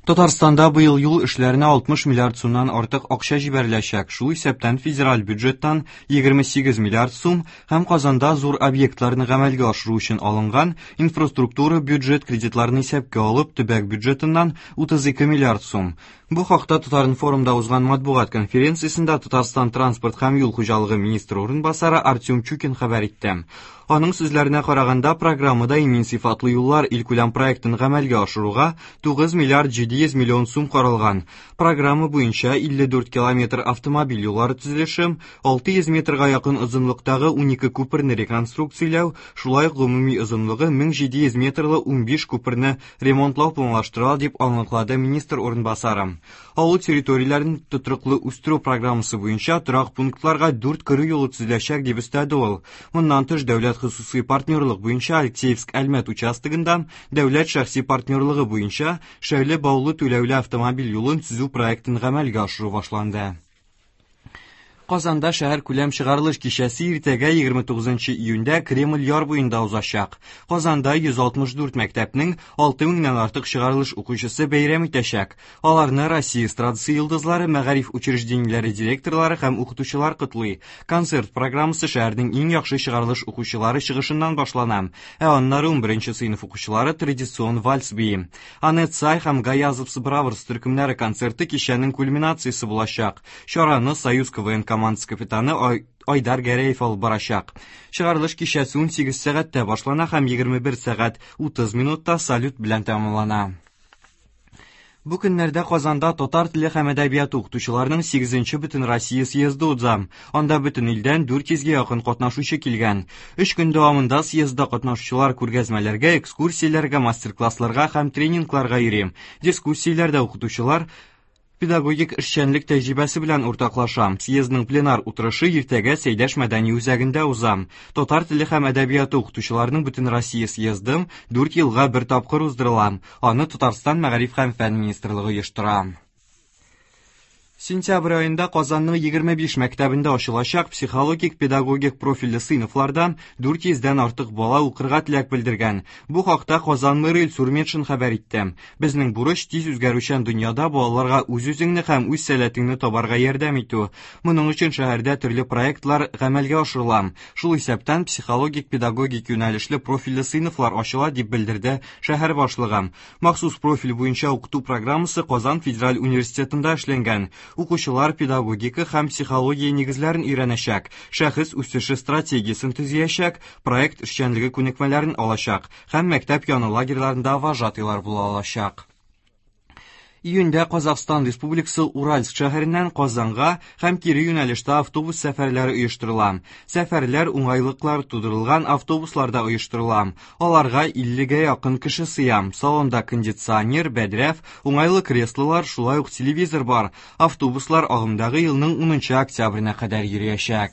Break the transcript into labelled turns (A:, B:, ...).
A: Татарстанда быел юл эшләренә 60 миллиард сумнан артык акча җибәреләчәк, шул исәптән федераль бюджеттан 28 миллиард сум һәм Казанда зур объектларны гамәлгә ашыру өчен алынган инфраструктура бюджет кредитларын исәпкә алып, төбәк бюджетыннан 32 миллиард сум. Бу хакта Татар-информда узган матбугат конференциясендә Татарстан транспорт һәм юл хуҗалыгы министры урынбасары Артем Чукин хәбәр итте. Аның сүзләренә караганда, программада имин сыйфатлы юллар илкүләм проектын гамәлгә ашыруга 9 миллиард 700 миллион сум каралган. Программа буенча 54 километр автомобиль юллары төзелеше, 600 метрга якын озынлыктагы 12 күперне реконструкцияләү, шулай ук гомуми озынлыгы 1700 метрлы 15 күперне ремонтлау планлаштырыла, дип аңлатлады министр урынбасары. Авыл территорияләрен тотрыклы үстерү программасы буенча торак пунктларга 4 керү юлы төзеләчәк, дип өстәде ул. Моннан тыш, дәүләт хосусый партнерлык буенча Алексеевск-Әлмәт участогында дәүләт шәхси партнерлыгы буенча Шәүле Баулы түләүле автомобиль юлын төзү проектын гамәлгә ашыру башланды. Казанда шәһәр күләм чыгарылыш кичәсе иртәгә 29 июньдә Кремль яр буенда узачак. Казанда 164 мәктәпнең 6 меңнән артык чыгарылыш укучысы бәйрәм итәчәк. Аларны Россия эстрадасы йолдызлары, мәгариф учреждениеләре директорлары һәм укытучылар котлый. Концерт программасы шәһәрнең иң яхшы чыгарылыш укучылары чыгышыннан башлана. Ә аннары 11 сыйныф укучылары традицион вальс бии. Анет Сай һәм Гаязов Браворс төркемнәре концерты кичәнең кульминациясе булачак. Чараны Союз КВН командасы капитаны Айдар Гәрәев алып барачак. Чыгарылыш кичәсе 18 сәгатьтә башлана һәм 21 сәгать 30 минутта салют белән тәмамлана. Бу көннәрдә Казанда татар теле һәм әдәбияты укытучыларының 8-нче Бөтенроссия съезды уза. Анда бөтен илдән 400гә якын катнашучы килгән. 3 көн дәвамында съездда катнашучылар күргәзмәләргә, экскурсияләргә, мастер-классларга һәм тренингларга йөри. Дискуссияләрдә укытучылар педагогик эшчәнлек тәҗрибәсе белән уртаклаша. Съездның пленар утырышы иртәгә Сәйдәш мәдәни үзәгендә уза. Татар теле һәм әдәбияты укытучыларының Бөтенроссия съезды 4 елга бер тапкыр уздырыла. Аны Татарстан мәгариф һәм фән министрлыгы оештыра. Сентябрь аенда Казанның 25 мәктәбендә ачылачак психологик-педагогик профильле сыйныфларда 400дән артык бала укырга теләк белдергән. Бу хакта Казан мэры Илсур Метшин хәбәр итте. Безнең бурыч тиз үзгәрүчән дөньяда балаларга үз-үзеңне һәм үз сәләтеңне табарга ярдәм итү. Моның өчен шәһәрдә төрле проектлар гамәлгә ашырыла. Шул исәптән психологик-педагогик юнәлешле профильле сыйныфлар ачыла, дип белдерде шәһәр башлыгы. Махсус профиль буенча укыту программасы Казан федераль университетында эшләнгән. Укучылар педагогика һәм психология нигезләрен өйрәнәчәк, шәхес үсеше стратегиясен төзиячәк, проект эшчәнлеге күнекмәләрен алачак һәм мәктәп яны лагерьларында вожатыйлар була алачак. Июньдә Казахстан Республикасы Уральск шәһәреннән Казанга һәм кире юнәлештә автобус сәфәрләре оештырыла. Сәфәрләр уңайлыклар тудырылган автобусларда оештырыла. Аларга 50гә якын кеше сыя. Салонда кондиционер, бәдрәф, уңайлы креслолар, шулай ук телевизор бар. Автобуслар агымдагы елның 10 октябренә кадәр йөриячәк.